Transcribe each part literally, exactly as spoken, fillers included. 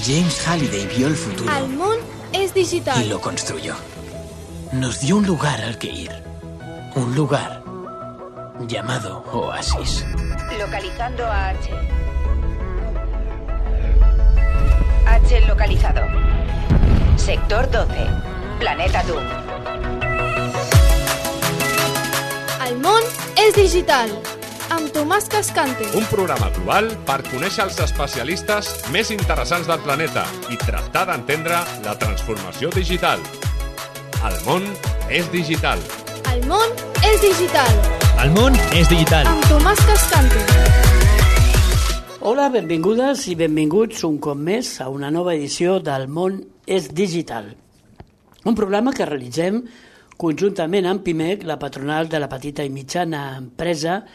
James Halliday vio el futuro. El món es digital. Y lo construyó. Nos dio un lugar al que ir. Un lugar llamado Oasis. Localizando a H. H localizado. Sector doce. Planeta Doom. El món és digital. Amb Tomàs Cascante. Un programa global per conèixer els especialistes més interessants del planeta i tractar d'entendre la transformació digital. El món és digital. El món és digital. El món és digital. Amb Tomàs Cascante. Hola, benvingudes i benvinguts un cop més a una nova edició del món és digital. Un programa que realitzem conjuntament amb PIMEC, la patronal de la petita i mitjana empresa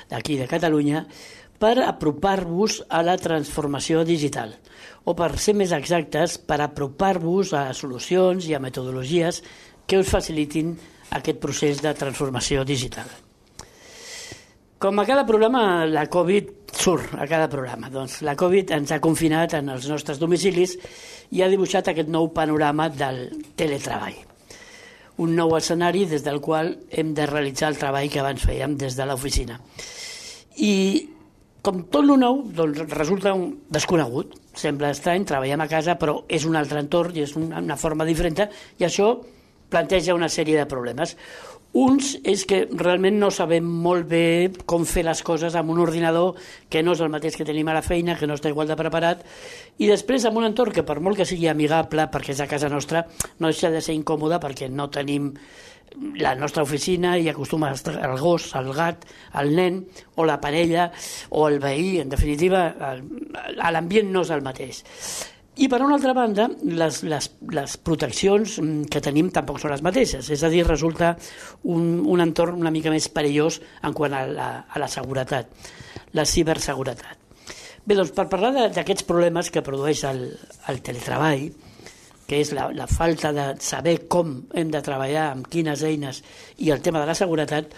d'aquí de Catalunya, per apropar-vos a la transformació digital, o per ser més exactes, per apropar-vos a solucions i a metodologies que us facilitin aquest procés de transformació digital. Com a cada programa, la Covid surt a cada programa. Doncs la Covid ens ha confinat en els nostres domicilis i ha dibuixat aquest nou panorama del teletreball. Un nou escenari des del qual hem de realitzar el treball que abans fèiem des de l'oficina. I com tot el nou, doncs, resulta un desconegut. Sembla estrany, treballem a casa, però és un altre entorn i és una forma diferent, i això planteja una sèrie de problemes. Uns és que realment no sabem molt bé com fer les coses amb un ordinador que no és el mateix que tenim a la feina, que no està igual de preparat, i després amb un entorn que per molt que sigui amigable, perquè és a casa nostra, no deixa de ser incòmode perquè no tenim la nostra oficina i acostuma el gos, el gat, el nen o la parella o el veí. En definitiva, l'ambient no és el mateix. I per una altra banda, les, les, les proteccions que tenim tampoc són les mateixes, és a dir, resulta un, un entorn una mica més perillós en quant a la, a la seguretat, la ciberseguretat. Bé, doncs per parlar d'aquests problemes que produeix el, el teletreball, que és la, la falta de saber com hem de treballar, amb quines eines, i el tema de la seguretat,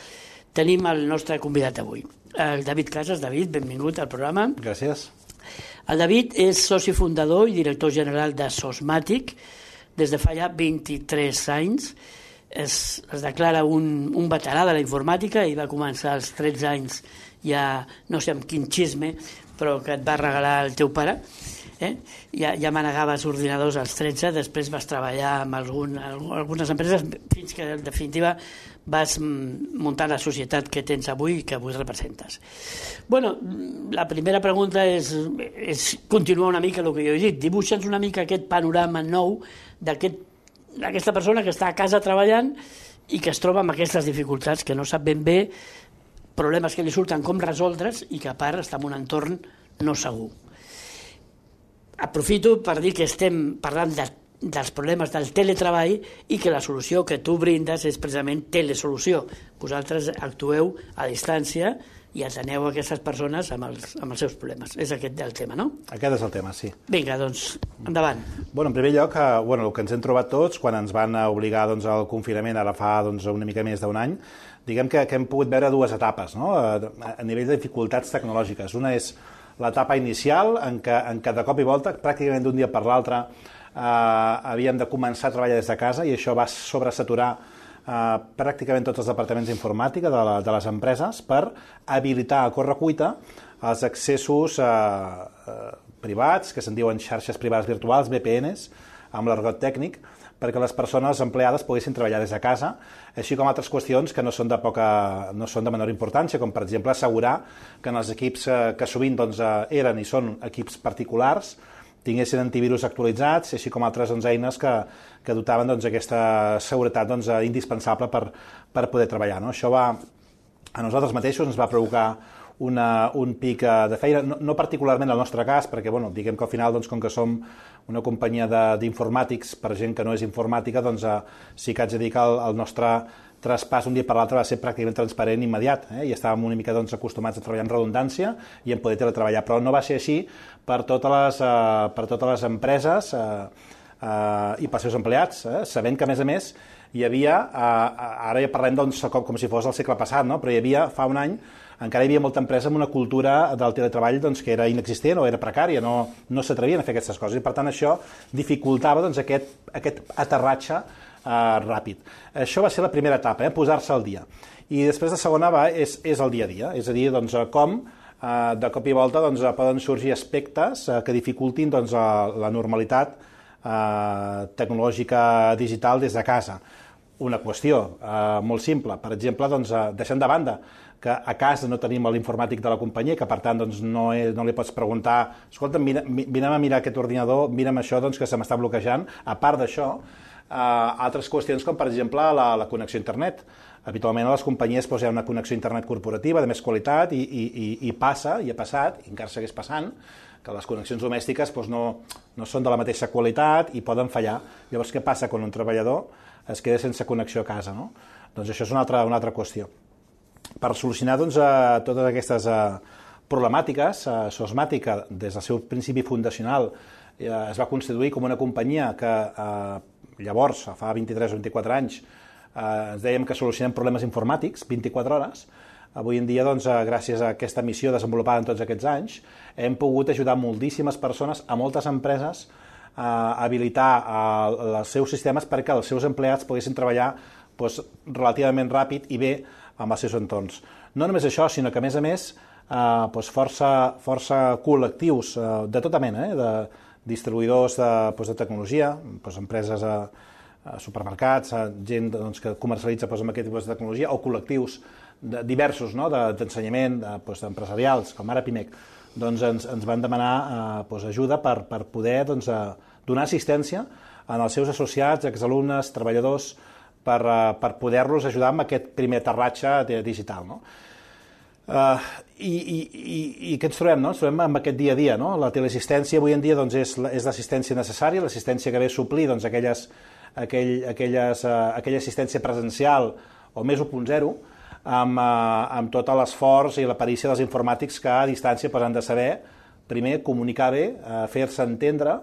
tenim el nostre convidat avui, el David Casas. David, benvingut al programa. Gràcies. El David és soci fundador i director general de Sosmatic des de fa ja vint-i-tres anys. Es, es declara un, un veterà de la informàtica i va començar als tretze anys, ja no sé amb quin xisme, però que et va regalar el teu pare. Eh? Ja, ja manegaves ordinadors als tretze, després vas treballar amb algun, algunes empreses fins que en definitiva vas muntar la societat que tens avui i que avui representes. Bueno, la primera pregunta és, és continuar una mica el que jo he dit. Dibuixa'ns una mica aquest panorama nou d'aquesta aquest, persona que està a casa treballant i que es troba amb aquestes dificultats, que no sap ben bé problemes que li surten com resoldre's i que a part està en un entorn no segur. Aprofito per dir que estem parlant de, dels problemes del teletreball i que la solució que tu brindes és precisament telesolució. Vosaltres actueu a distància i ateneu a aquestes persones amb els, amb els seus problemes. És aquest el tema, no? Aquest és el tema, sí. Vinga, doncs, endavant. Bueno, en primer lloc, eh, bueno, el que ens hem trobat tots quan ens van obligar doncs, al confinament ara fa doncs, una mica més d'un any, diguem que, que hem pogut veure dues etapes, no? a, a nivell de dificultats tecnològiques. Una és l'etapa inicial, en què, en què de cop i volta, pràcticament d'un dia per l'altre, eh, havíem de començar a treballar des de casa i això va sobresaturar eh, pràcticament tots els departaments d'informàtica de, la, de les empreses per habilitar a correcuita els accessos eh, eh, privats, que se'n diuen xarxes privades virtuals, V P Ns, amb l'argot tècnic, perquè les persones empleades poguessin treballar des de casa, així com altres qüestions que no són de, poca, no són de menor importància, com per exemple assegurar que en els equips que sovint doncs, eren i són equips particulars tinguessin antivirus actualitzats, així com altres doncs, eines que, que dotaven doncs, aquesta seguretat doncs, indispensable per, per poder treballar. No? Això va, a nosaltres mateixos ens va provocar Una, un pic de feina, no, no particularment en el nostre cas, perquè bueno, diguem que al final, doncs, com que som una companyia d'informàtics per gent que no és informàtica, doncs eh, sí que haig de dir que el, el nostre traspàs un dia per l'altre va ser pràcticament transparent i immediat, eh? i estàvem una mica doncs, acostumats a treballar en redundància i en poder teletreballar, però no va ser així per totes les, eh, per totes les empreses eh, eh, i pels seus empleats, eh? sabent que a més a més hi havia, eh, ara ja parlem doncs, com, com si fos el segle passat, no? però hi havia fa un any encara hi havia molta empresa amb una cultura del teletreball doncs, que era inexistent o era precària, no, no s'atrevien a fer aquestes coses, i per tant això dificultava doncs, aquest, aquest aterratge eh, ràpid. Això va ser la primera etapa, eh, posar-se al dia. I després la segona va, és, és el dia a dia, és a dir, doncs, com eh, de cop i volta doncs, poden sorgir aspectes eh, que dificultin doncs, la normalitat eh, tecnològica digital des de casa. Una qüestió eh, molt simple, per exemple, doncs, eh, deixant de banda que a casa no tenim l'informàtic de la companyia, que per tant doncs, no, és, no li pots preguntar escolta, mira, vinem a mirar aquest ordinador, mira'm això doncs, que se m'està bloquejant. A part d'això, eh, altres qüestions com per exemple la, la connexió a internet. Habitualment a les companyies doncs, hi ha una connexió a internet corporativa de més qualitat i, i, i, i passa, i ha passat, i encara segueix passant, que les connexions domèstiques doncs, no, no són de la mateixa qualitat i poden fallar. Llavors, què passa quan un treballador es queda sense connexió a casa? No? Doncs això és una altra, una altra qüestió. Per solucionar doncs, eh, totes aquestes eh, problemàtiques, eh, Sosmatica, des del seu principi fundacional, eh, es va constituir com una companyia que eh, llavors, fa vint-i-tres o vint-i-quatre anys, eh, ens dèiem que solucionem problemes informàtics vint-i-quatre hores. Avui en dia, doncs, eh, gràcies a aquesta missió desenvolupada en tots aquests anys, hem pogut ajudar moltíssimes persones, a moltes empreses, a habilitar eh, els seus sistemes perquè els seus empleats poguessin treballar doncs, relativament ràpid i bé amb els seus entorns. No només això, sinó que a més a més eh, doncs força, força col·lectius eh, de tota mena, eh, de distribuïdors de, doncs, de tecnologia, doncs, empreses a, a supermercats, a gent doncs, que comercialitza doncs, amb aquest tipus de tecnologia, o col·lectius de, diversos no, d'ensenyament, de, doncs, empresarials, com ara Pimec, doncs ens, ens van demanar eh, doncs, ajuda per, per poder doncs, eh, donar assistència en els seus associats, exalumnes, treballadors, per, uh, per poder-los ajudar amb aquest primer aterratge digital. No? Uh, i, i, i, I què ens trobem? No? Ens trobem amb aquest dia a dia. No? La teleassistència avui en dia doncs, és, és l'assistència necessària, l'assistència que ve a suplir doncs, aquelles, aquell, aquelles, uh, aquella assistència presencial o més u punt zero, amb, uh, amb tot l'esforç i la perícia dels informàtics que a distància pues, han de saber, primer, comunicar bé, uh, fer-se entendre,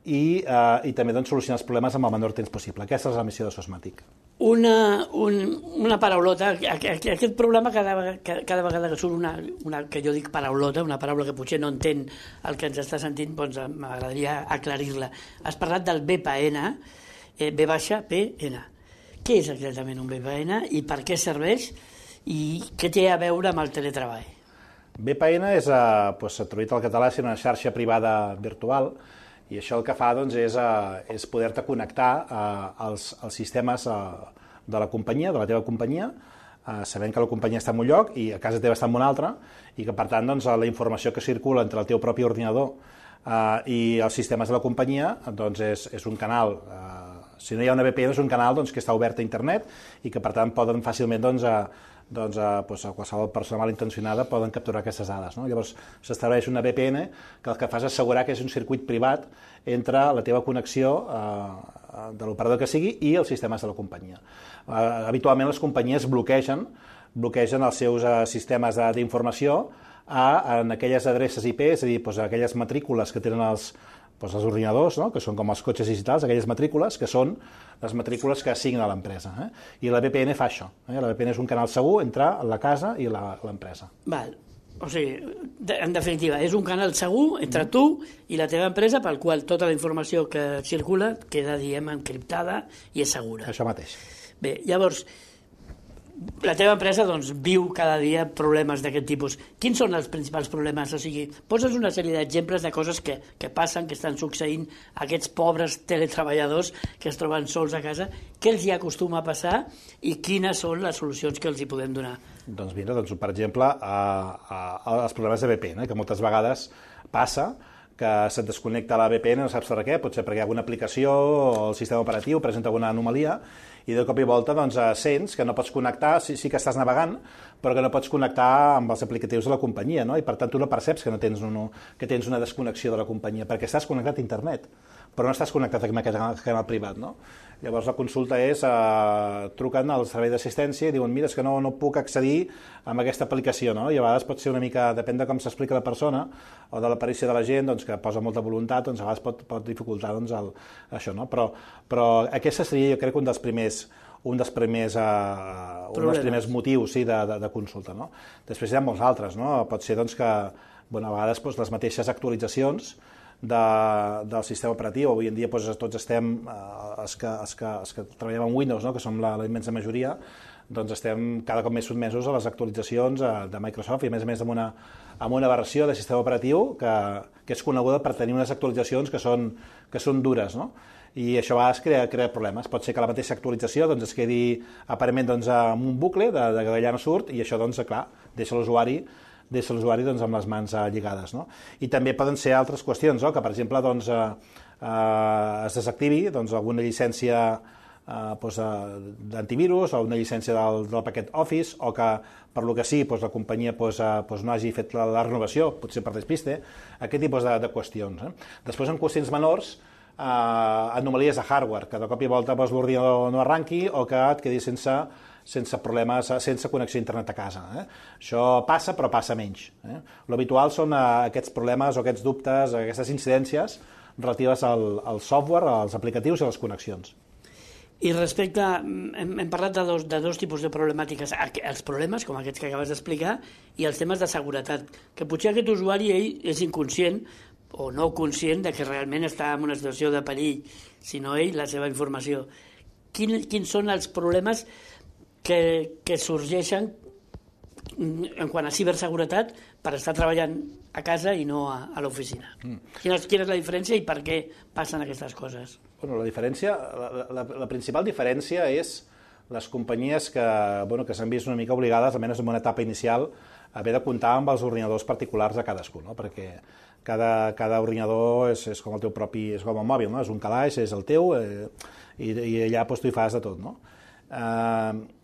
i, eh, i també doncs, solucionar els problemes amb el menor temps possible. Aquesta és la missió de Sosmatic. Una, un, una paraulota, aquest problema cada, cada vegada que surt una, una, que jo dic paraulota, una paraula que potser no entén el que ens està sentint, doncs m'agradaria aclarir-la. Has parlat del V P N, eh, V baixa P N. Què és exactament un V P N i per què serveix i què té a veure amb el teletreball? V P N és, eh, doncs, traduït al català, és una xarxa privada virtual. I això el que fa doncs, és, uh, és poder-te connectar uh, als, als sistemes uh, de la companyia, de la teva companyia, uh, sabent que la companyia està en un lloc i a casa teva està en un altre, i que per tant doncs, la informació que circula entre el teu propi ordinador uh, i els sistemes de la companyia doncs, és, és un canal, uh, si no hi ha una V P N és un canal doncs, que està obert a internet i que per tant poden fàcilment doncs, uh, doncs, eh, doncs, a qualsevol persona malintencionada poden capturar aquestes dades. No? Llavors s'estableix una V P N que el que fa és assegurar que és un circuit privat entre la teva connexió eh, de l'operador que sigui i els sistemes de la companyia. Eh, habitualment les companyies bloquegen, bloquegen els seus eh, sistemes d'informació en aquelles adreces I P, és a dir, doncs, aquelles matrícules que tenen els, doncs, els ordinadors, no? Que són com els cotxes digitals, aquelles matrícules que són les matrícules que assigna l'empresa. Eh? I la V P N fa això. Eh? La V P N és un canal segur entre la casa i l'empresa. Val. O sigui, en definitiva, és un canal segur entre tu i la teva empresa pel qual tota la informació que circula queda, diguem, encriptada i és segura. Això mateix. Bé, llavors, la teva empresa doncs, viu cada dia problemes d'aquest tipus. Quins són els principals problemes? O sigui, poses una sèrie d'exemples de coses que, que passen, que estan succeint a aquests pobres teletreballadors que es troben sols a casa. Què els hi acostuma a passar i quines són les solucions que els hi podem donar? Doncs mira, doncs, per exemple, a, a, a els problemes de V P N, que moltes vegades passa que se't desconnecta la V P N, no saps per què, potser perquè hi ha alguna aplicació o el sistema operatiu presenta alguna anomalia i de cop i volta doncs, sents que no pots connectar, sí, sí que estàs navegant, però que no pots connectar amb els aplicatius de la companyia, no? I per tant tu no perceps que, no tens un, que tens una desconnexió de la companyia, perquè estàs connectat a internet, però no estàs connectat amb aquest canal privat, no? Llavors la consulta és, eh, truquen al servei d'assistència i diuen, mira, és que no, no puc accedir a aquesta aplicació, no? I a vegades pot ser una mica, depèn de com s'explica la persona o de l'aparició de la gent, doncs, que posa molta voluntat, doncs a vegades pot, pot dificultar doncs, el, això, no? Però, però aquesta seria, jo crec, un dels primers, un dels primers, uh, un dels primers motius sí, de, de, de consulta. No? Després hi ha molts altres. No? Pot ser doncs, que bueno, a vegades doncs, les mateixes actualitzacions de, del sistema operatiu. Avui en dia doncs, tots estem, eh, els, que, els, que, els que treballem amb Windows, no? que som la, la immensa majoria, doncs estem cada cop més sotmesos a les actualitzacions de Microsoft i a més a més amb una, amb una versió de sistema operatiu que, que és coneguda per tenir unes actualitzacions que són, que són dures, no? I això a vegades crea, crea problemes. Pot ser que la mateixa actualització doncs, es quedi aparentment doncs, amb un bucle de, de que d'allà no surt i això, doncs, clar, deixa l'usuari deixa l'usuari doncs, amb les mans eh, lligades. No? I també poden ser altres qüestions, no? que per exemple doncs, eh, eh, es desactivi doncs, alguna llicència eh, doncs, eh, d'antivirus o una llicència del, del paquet Office o que per lo que sí doncs, la companyia doncs, eh, doncs, no hagi fet la, la renovació, potser per despiste, aquest tipus de, de qüestions. Eh? Després en qüestions menors, eh, anomalies de hardware, que de cop i volta doncs, l'ordinador no arranqui o que et quedi sense sense problemes, sense connexió a internet a casa. Eh? Això passa, però passa menys. Eh? L'habitual són eh, aquests problemes o aquests dubtes, aquestes incidències relatives al, al software, als aplicatius i a les connexions. I respecte, hem, hem parlat de dos, de dos tipus de problemàtiques, els problemes, com aquests que acabes d'explicar, i els temes de seguretat, que potser aquest usuari ell és inconscient o no conscient de que realment està en una situació de perill, sinó ell, la seva informació. Quin, quins són els problemes que, que sorgeixen en quant a ciberseguretat per estar treballant a casa i no a, a l'oficina? Mm. Quina, quina és la diferència i per què passen aquestes coses? Bueno, la diferència, la, la, la principal diferència és les companyies que, bueno, que s'han vist una mica obligades, almenys en una etapa inicial, a haver de comptar amb els ordinadors particulars de cadascú, no? Perquè cada, cada ordinador és, és com el teu propi, és com el mòbil, no? És un calaix, és el teu, eh, i, i allà doncs, tu hi fas de tot, no? Eh,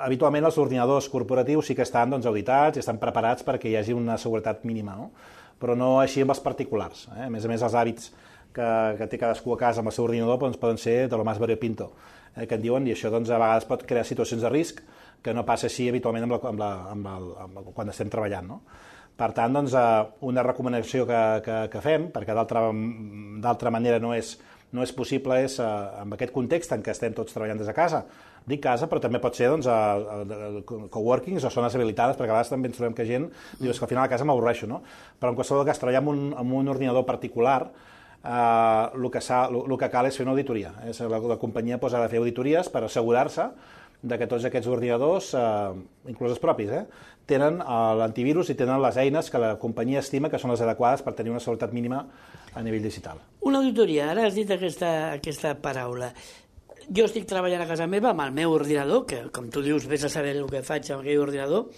habitualment els ordinadors corporatius sí que estan doncs, auditats i estan preparats perquè hi hagi una seguretat mínima, no? Però no així amb els particulars. Eh? A més a més, els hàbits que, que té cadascú a casa amb el seu ordinador doncs, poden ser de lo més variopinto, eh, que en diuen, i això doncs, a vegades pot crear situacions de risc que no passa així habitualment amb la, amb la, amb la, amb la, quan estem treballant. No? Per tant, doncs, una recomanació que, que, que fem, perquè d'altra manera no és, no és possible, és en aquest context en què estem tots treballant des de casa. Dic casa, però també pot ser doncs, a, a, a coworkings o zones habilitades, perquè a vegades també ens trobem que gent diu que al final a casa m'avorreixo, no? Però en qualsevol cas, treballar amb un, amb un ordinador particular, eh, el, que el, el que cal és fer una auditoria. Eh? La, la companyia pues, ha de fer auditories per assegurar-se de que tots aquests ordinadors, eh, inclús els propis, eh, tenen l'antivirus i tenen les eines que la companyia estima que són les adequades per tenir una seguretat mínima a nivell digital. Una auditoria, ara has dit aquesta, aquesta paraula. Jo estic treballant a casa meva amb el meu ordinador, que com tu dius, vés a saber el que faig amb aquell ordinador,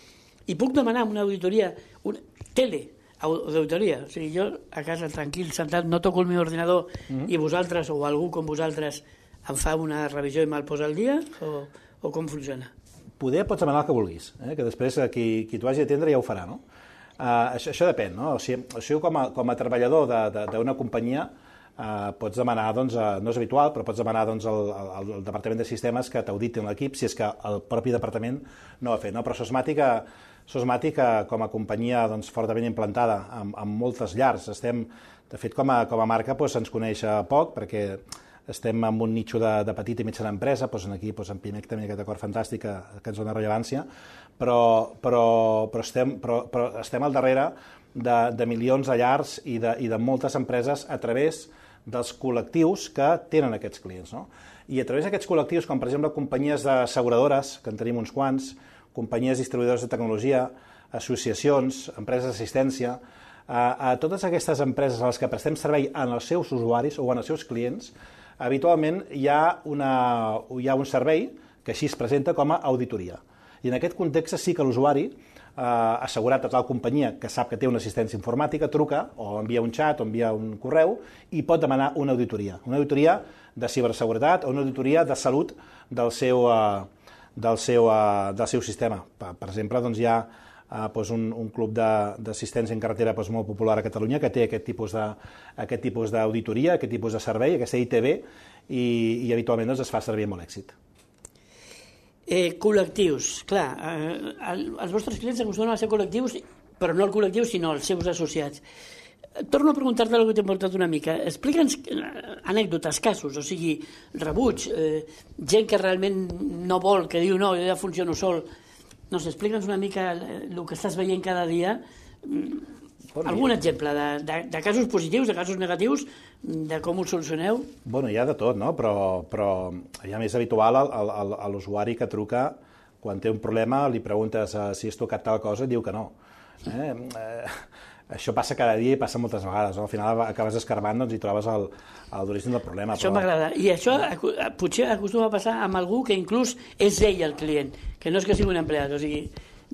i puc demanar una auditoria, una tele, d'auditoria. O sigui, jo a casa tranquil, sentat, no toco el meu ordinador mm-hmm. i vosaltres o algú com vosaltres em fa una revisió i me'l posa al dia? O, o com funciona? Poder pots demanar el que vulguis, eh? Que després qui, qui t'ho hagi d'atendre ja ho farà, no? Uh, això, això depèn, no? O sigui, o sigui com, a, com a treballador d'una companyia uh, pots demanar, doncs, uh, no és habitual, però pots demanar doncs, al, al, al Departament de Sistemes que t'auditin l'equip si és que el propi departament no ho ha fet, no? Però Sosmàtica, Sosmàtica com a companyia doncs, fortament implantada amb, amb moltes llars, estem, de fet, com a, com a marca doncs, ens coneix poc, perquè estem en un nicho de, de petita i mitjana empresa, doncs aquí doncs en Pimec també aquest acord fantàstic que, que ens dona rellevància, però, però, però, estem, però, però estem al darrere de, de milions de llars i de, i de moltes empreses a través dels col·lectius que tenen aquests clients. No? I a través d'aquests col·lectius, com per exemple companyies asseguradores, que en tenim uns quants, companyies distribuïdores de tecnologia, associacions, empreses d'assistència, a, a totes aquestes empreses a les que prestem servei en els seus usuaris o en els seus clients, habitualment hi ha, una, hi ha un servei que així es presenta com a auditoria. I en aquest context sí que l'usuari, eh, assegurat a tal companyia que sap que té una assistència informàtica, truca o envia un xat o envia un correu i pot demanar una auditoria. Una auditoria de ciberseguretat o una auditoria de salut del seu, eh, del seu, eh, del seu sistema. Per, per exemple, doncs hi ha Uh, doncs un, un club d'assistència en carretera doncs molt popular a Catalunya que té aquest tipus de, aquest tipus d'auditoria, aquest tipus de servei, aquesta I T B, i, i habitualment doncs, es fa servir amb molt èxit. Eh, col·lectius, clar, eh, el, els vostres clients acostumen a ser col·lectius, però no el col·lectiu, sinó els seus associats. Torno a preguntar-te el que t'he portat una mica. Explica'ns anècdotes, casos, o sigui, rebuig, eh, gent que realment no vol, que diu no, jo ja funciono sol. No sé, explica'ns una mica el que estàs veient cada dia. Bueno, algun exemple de, de, de casos positius, de casos negatius, de com ho solucioneu? Bueno, hi ha de tot, no? Però, però ja més habitual a l'usuari que truca quan té un problema, li preguntes uh, si has tocat tal cosa i diu que no. Eh? Eh, això passa cada dia i passa moltes vegades. No? Al final acabes escarbant, doncs, i trobes el, el d'origen del problema. Això però... m'agrada. I això potser acostuma a passar amb algú que inclús és ell el client, que no és que sigui un empleat, o sigui,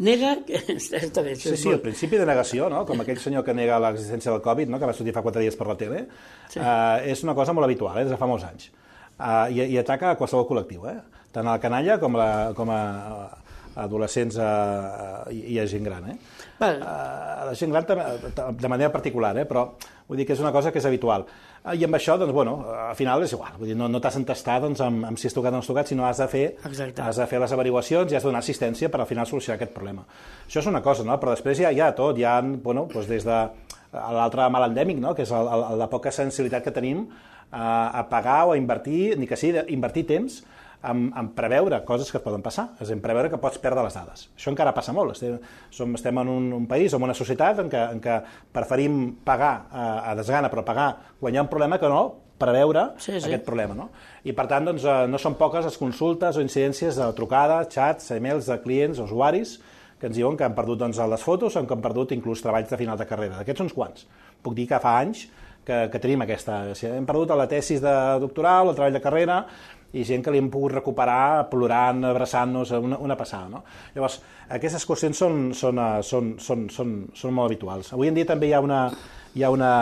nega... Està bé, sí, sí, el principi de negació, no? Com aquell senyor que nega l'existència del Covid, no? Que va sortir fa quatre dies per la tele, sí. eh, és una cosa molt habitual, eh? Des de fa molts anys. Uh, i, i ataca a qualsevol col·lectiu, eh? Tant a la canalla com, la, com a, a adolescents uh, i, i a gent gran. Eh? Uh, la gent gran també, de manera particular, eh? Però vull dir que és una cosa que és habitual. Uh, I amb això, doncs, bueno, al final és igual. Vull dir, no, no t'has d'entestar doncs, amb, amb si has tocat o no has tocat, sinó has de fer, has de fer les averiguacions i has de donar assistència per al final solucionar aquest problema. Això és una cosa, no? Però després hi ha, hi ha tot. Hi ha, bueno, doncs des de l'altre mal endèmic, no? Que és el, el, la poca sensibilitat que tenim a pagar o a invertir, ni que sigui invertir temps en, en preveure coses que et poden passar, és a dir, en preveure que pots perdre les dades. Això encara passa molt. Estem, som, estem en un, un país, en una societat en què, en què preferim pagar a, a desgana, però pagar quan hi ha un problema que no preveure sí, sí. aquest problema. No? I per tant, doncs, no són poques les consultes o incidències de trucades, xats, e-mails de clients o usuaris que ens diuen que han perdut doncs, les fotos o que han perdut inclús treballs de final de carrera. D'aquests uns quants. Puc dir que fa anys Que, que tenim aquesta... Si hem perdut la tesis de doctoral, el treball de carrera, i gent que li hem pogut recuperar plorant, abraçant-nos, una, una passada. No? Llavors, aquestes qüestions són, són, són, són, són, són molt habituals. Avui en dia també hi ha una... Hi ha una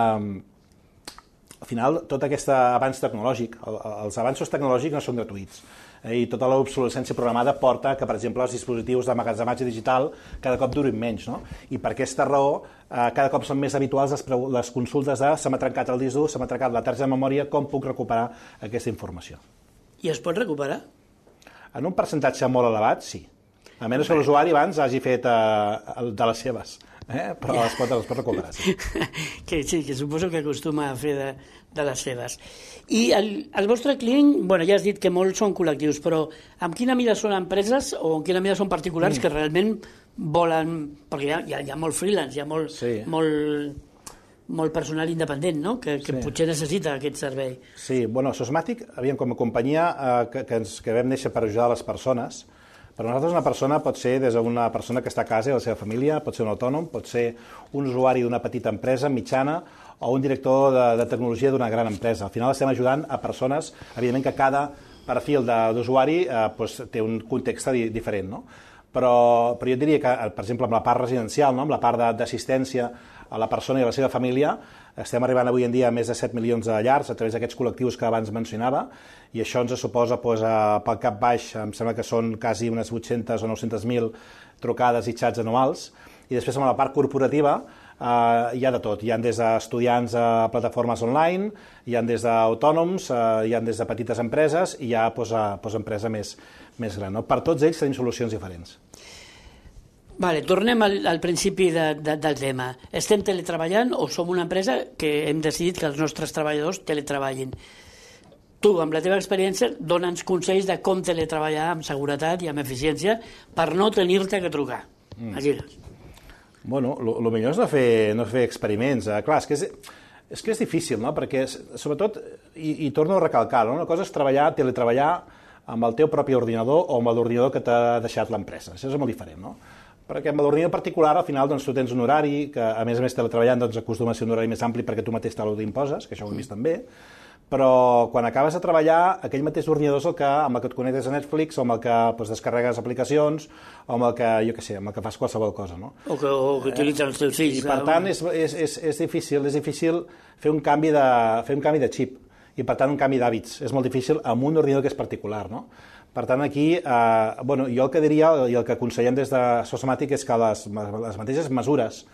al final, tot aquest avanç tecnològic, els avanços tecnològics no són gratuïts. I tota l'obsolescència programada porta que, per exemple, els dispositius d'emmagatzematge digital cada cop durin menys. No? I per aquesta raó, eh, cada cop són més habituals les, les consultes de se m'ha trencat el disc dur, se m'ha trencat la targeta de memòria, com puc recuperar aquesta informació. I es pot recuperar? En un percentatge molt elevat, sí. A menys que l'usuari abans hagi fet eh, de les seves. Eh? Però ja. es, pot, es pot recuperar, sí. que, sí, que suposo que acostuma a fer de, de les seves. I el, el vostre client, bueno, ja has dit que molts són col·lectius, però en quina mida són empreses o en quina mida són particulars mm. que realment volen... Perquè hi ha, hi ha, hi ha molt freelance, hi ha molt, sí. molt, molt personal independent, no? que, que sí. potser necessita aquest servei. Sí, bueno, Sosmatic, aviam, com a companyia eh, que, que, ens, que vam néixer per ajudar les persones. Per nosaltres una persona pot ser des d'una persona que està a casa i la seva família, pot ser un autònom, pot ser un usuari d'una petita empresa mitjana o un director de, de tecnologia d'una gran empresa. Al final estem ajudant a persones, evidentment que cada perfil d'usuari eh, doncs, té un context di, diferent, no? Però, però jo diria que, per exemple, amb la part residencial, no? Amb la part d'assistència a la persona i a la seva família, estem arribant avui en dia a més de set milions de llars a través d'aquests col·lectius que abans mencionava, i això ens suposa, doncs, pel cap baix, em sembla que són quasi unes vuit-centes o nou-centes mil trucades i xats anuals, i després amb la part corporativa eh, hi ha de tot. Hi ha des d'estudiants a plataformes online, hi ha des d'autònoms, eh, hi ha des de petites empreses i hi ha doncs, a, doncs, empresa més, més gran. No? Per tots ells tenim solucions diferents. Vale, tornem al, al principi de, de, del tema. Estem teletreballant o som una empresa que hem decidit que els nostres treballadors teletreballin? Tu, amb la teva experiència, dona'ns consells de com teletreballar amb seguretat i amb eficiència per no tenir-te que trucar. Mm. Aquí. Bueno, el millor és no fer, no fer experiments. Eh, clar, és que és, és que és difícil, no? Perquè, sobretot, i, i torno a recalcar, no? Una cosa és treballar, teletreballar amb el teu propi ordinador o amb l'ordinador que t'ha deixat l'empresa. Això és molt diferent, no? Perquè amb l'ordinador particular, al final, doncs, tu tens un horari, que a més a més teletreballant doncs, acostuma a ser un horari més ampli perquè tu mateix te l'imposes, que això ho hem vist també, però quan acabes de treballar, aquell mateix ordinador és el que, amb el que et connectes a Netflix, o amb el que doncs, descarregues aplicacions, o amb el que, jo què sé, amb el que fas qualsevol cosa, no? O que, o que utilitzen els teus fills. I per tant, és, és, és, és, difícil, és difícil fer un canvi de, fer un canvi de xip, i per tant un canvi d'hàbits. És molt difícil amb un ordinador que és particular, no? Per tant, aquí, eh, bueno, jo el que diria i el que aconsellem des de Sosmatic és que les, les mateixes mesures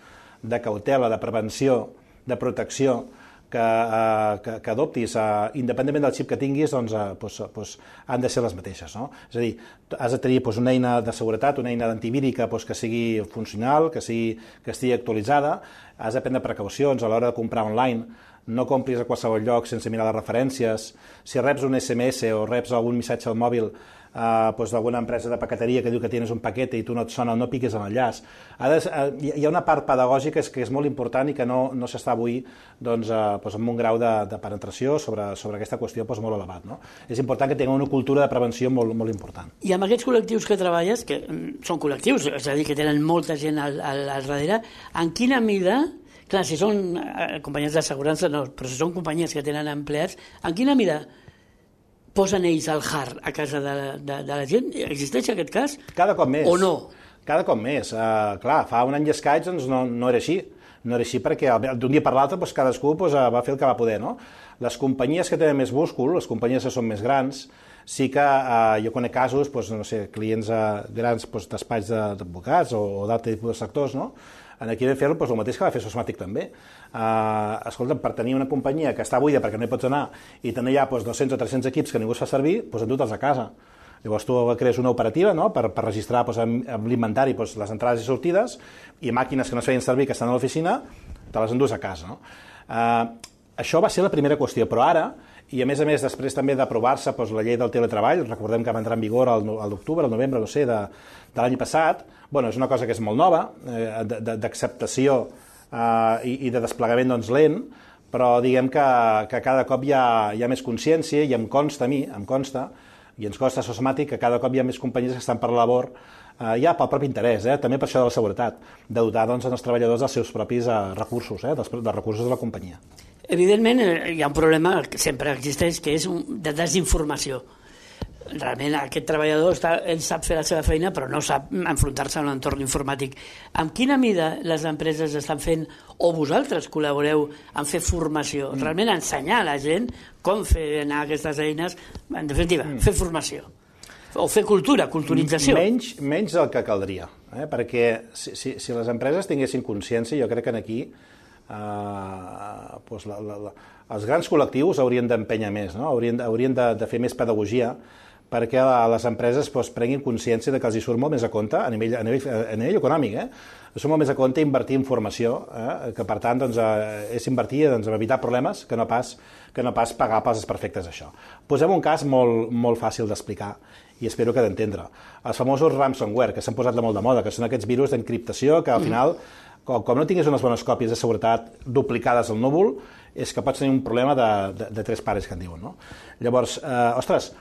de cautela, de prevenció, de protecció, que, uh, que, que adoptis, uh, independentment del xip que tinguis, doncs, uh, pues, pues, han de ser les mateixes. No? És a dir, has de tenir pues, una eina de seguretat, una eina d'antivírica pues, que sigui funcional, que, sigui, que estigui actualitzada, has de prendre precaucions a l'hora de comprar online, no compris a qualsevol lloc sense mirar les referències, si reps un esse eme esse o reps algun missatge al mòbil Uh, pues d'alguna empresa de paqueteria que diu que tens un paquete i tu no et sona, no piquis en l'enllaç. Uh, hi ha una part pedagògica que és molt important i que no, no s'està avui doncs, uh, pues amb un grau de, de penetració sobre, sobre aquesta qüestió pues, molt elevat. No? És important que tinguem una cultura de prevenció molt, molt important. I amb aquests col·lectius que treballes, que són col·lectius, és a dir, que tenen molta gent al, al, al darrere, en quina mida, clar, si són eh, companyies d'assegurança, no, però si són companyies que tenen empleats, en quina mida posen ells el hard a casa de, de, de la gent? Existeix aquest cas? Cada cop més. O no? Cada cop més. Uh, clar, fa un any i escaig doncs, no, no era així. No era així perquè d'un dia per l'altre doncs, cadascú doncs, va fer el que va poder. No? Les companyies que tenen més múscul, les companyies que són més grans, sí que uh, jo conec casos, doncs, no sé, clients uh, grans doncs, d'espais d'advocats o, o d'altres tipus de sectors, no? Aquí vam fer doncs, el mateix que va fer Sosmatic també. Uh, escolta, per tenir una companyia que està buida perquè no hi pots anar i tenir ja doncs, dos-cents o tres-cents equips que ningú es fa servir, doncs endute'ls a casa. Llavors tu crees una operativa, no?, per, per registrar doncs, amb, amb l'inventari doncs, les entrades i sortides, i màquines que no es feien servir que estan a l'oficina, te les endús a casa. No? Uh, això va ser la primera qüestió, però ara, i a més a més després també d'aprovar-se doncs, la llei del teletreball, recordem que va entrar en vigor al, al l'octubre, al novembre, no sé, de, de l'any passat, bueno, és una cosa que és molt nova, eh, d'acceptació eh, i, i de desplegament doncs, lent, però diguem que, que cada cop hi ha, hi ha més consciència i em consta a mi, em consta, i ens costa a Sosmatic que cada cop hi ha més companyies que estan per la labor eh, ja pel propi interès, eh, també per això de la seguretat, de dotar doncs, els treballadors dels seus propis eh, recursos, eh, dels, dels recursos de la companyia. Evidentment hi ha un problema que sempre existeix, que és un, de desinformació. Realment aquest treballador està, ell sap fer la seva feina però no sap enfrontar-se a l'entorn informàtic. En quina mida les empreses estan fent, o vosaltres col·laboreu en fer formació, mm. realment ensenyar a la gent com fer anar aquestes eines, en definitiva, mm. fer formació o fer cultura, culturització? Menys, menys del que caldria, eh? Perquè si, si, si les empreses tinguessin consciència, jo crec que aquí eh, doncs la, la, la, els grans col·lectius haurien d'empènyer més, no? haurien, haurien de, de fer més pedagogia perquè les empreses doncs, prenguin consciència de que els hi surt molt més a compte a nivell, a nivell, a nivell econòmic. Eh? Surt molt més a compte invertir en formació, eh? que per tant doncs, eh, és invertir doncs, en evitar problemes que no, pas, que no pas pagar pels desperfectes d'això. Posem un cas molt, molt fàcil d'explicar i espero que d'entendre. Els famosos ransomware, que s'han posat de molt de moda, que són aquests virus d'encriptació que al final, com, com no tinguis unes bones còpies de seguretat duplicades al núvol, és que pots tenir un problema de, de, de tres pares que en diuen. No? Llavors, eh, ostres,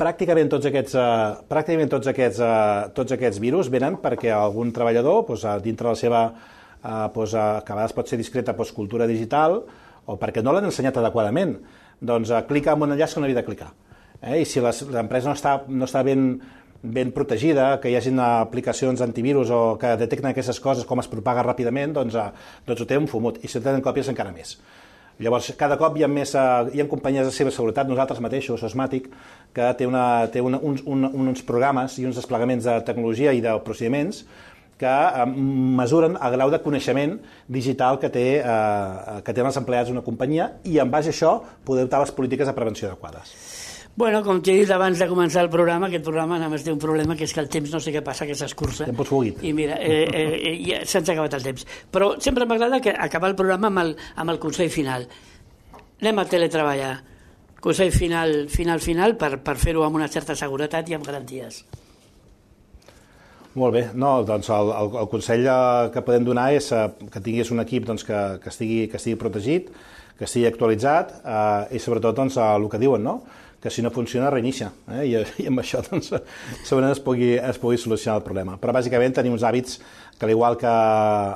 pràcticament tots aquests, uh, pràcticament tots aquests, uh, tots aquests virus venen perquè algun treballador, doncs, dintre de la seva, uh, doncs, uh, que a vegades pot ser discreta doncs, cultura digital, o perquè no l'han ensenyat adequadament, doncs uh, clica en un enllaç que no havia de clicar. Eh? I si l'empresa no està, no està ben, ben protegida, que hi hagi aplicacions antivirus o que detecten aquestes coses, com es propaga ràpidament, doncs, uh, doncs ho té un fumut, i si tenen còpies encara més. Llavors, cada cop hi ha, més, hi ha companyies de ciberseguretat, nosaltres mateixos, Sosmatic, que té, una, té una, uns, un, uns programes i uns desplegaments de tecnologia i de procediments que eh, mesuren el grau de coneixement digital que, té, eh, que tenen els empleats d'una companyia i en base a això poder adoptar les polítiques de prevenció adequades. Bueno, com t'he dit abans de començar el programa, aquest programa només té un problema, que és que el temps no sé què passa, que s'escurça. Temps fugit. I mira, eh, eh, ja se'ns ha acabat el temps. Però sempre m'agrada que acabar el programa amb el, amb el consell final. Anem a teletreballar. Consell final, final, final, per, per fer-ho amb una certa seguretat i amb garanties. Molt bé. No, doncs el, el, el consell que podem donar és que tinguis un equip doncs, que, que, estigui, que estigui protegit, que estigui actualitzat eh, i sobretot doncs, el que diuen, no? Que si no funciona, reinicia. Eh? I, I amb això doncs, segurament es pugui, es pugui solucionar el problema. Però bàsicament tenim uns hàbits que, al igual que,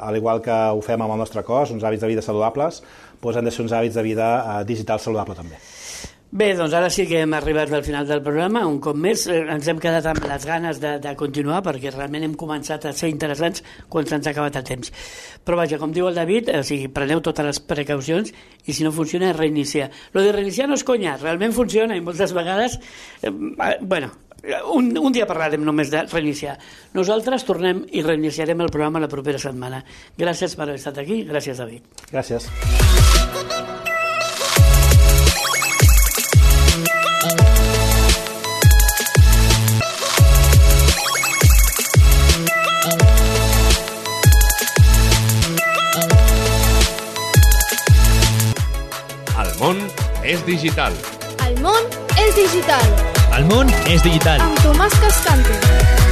al igual que ho fem amb el nostre cos, uns hàbits de vida saludables, doncs han de ser uns hàbits de vida eh, digital saludable també. Bé, doncs ara sí que hem arribat al final del programa. Un cop més ens hem quedat amb les ganes de, de continuar, perquè realment hem començat a ser interessants quan se'ns ha acabat el temps. Però vaja, com diu el David, o sigui, preneu totes les precaucions i si no funciona, reiniciar. Lo de reiniciar no és conya, realment funciona i moltes vegades... Eh, bueno, un, un dia parlarem només de reiniciar. Nosaltres tornem i reiniciarem el programa la propera setmana. Gràcies per haver estat aquí. Gràcies, David. Gràcies. El món és digital. El món és digital. El món és digital. Amb Tomàs Cascante.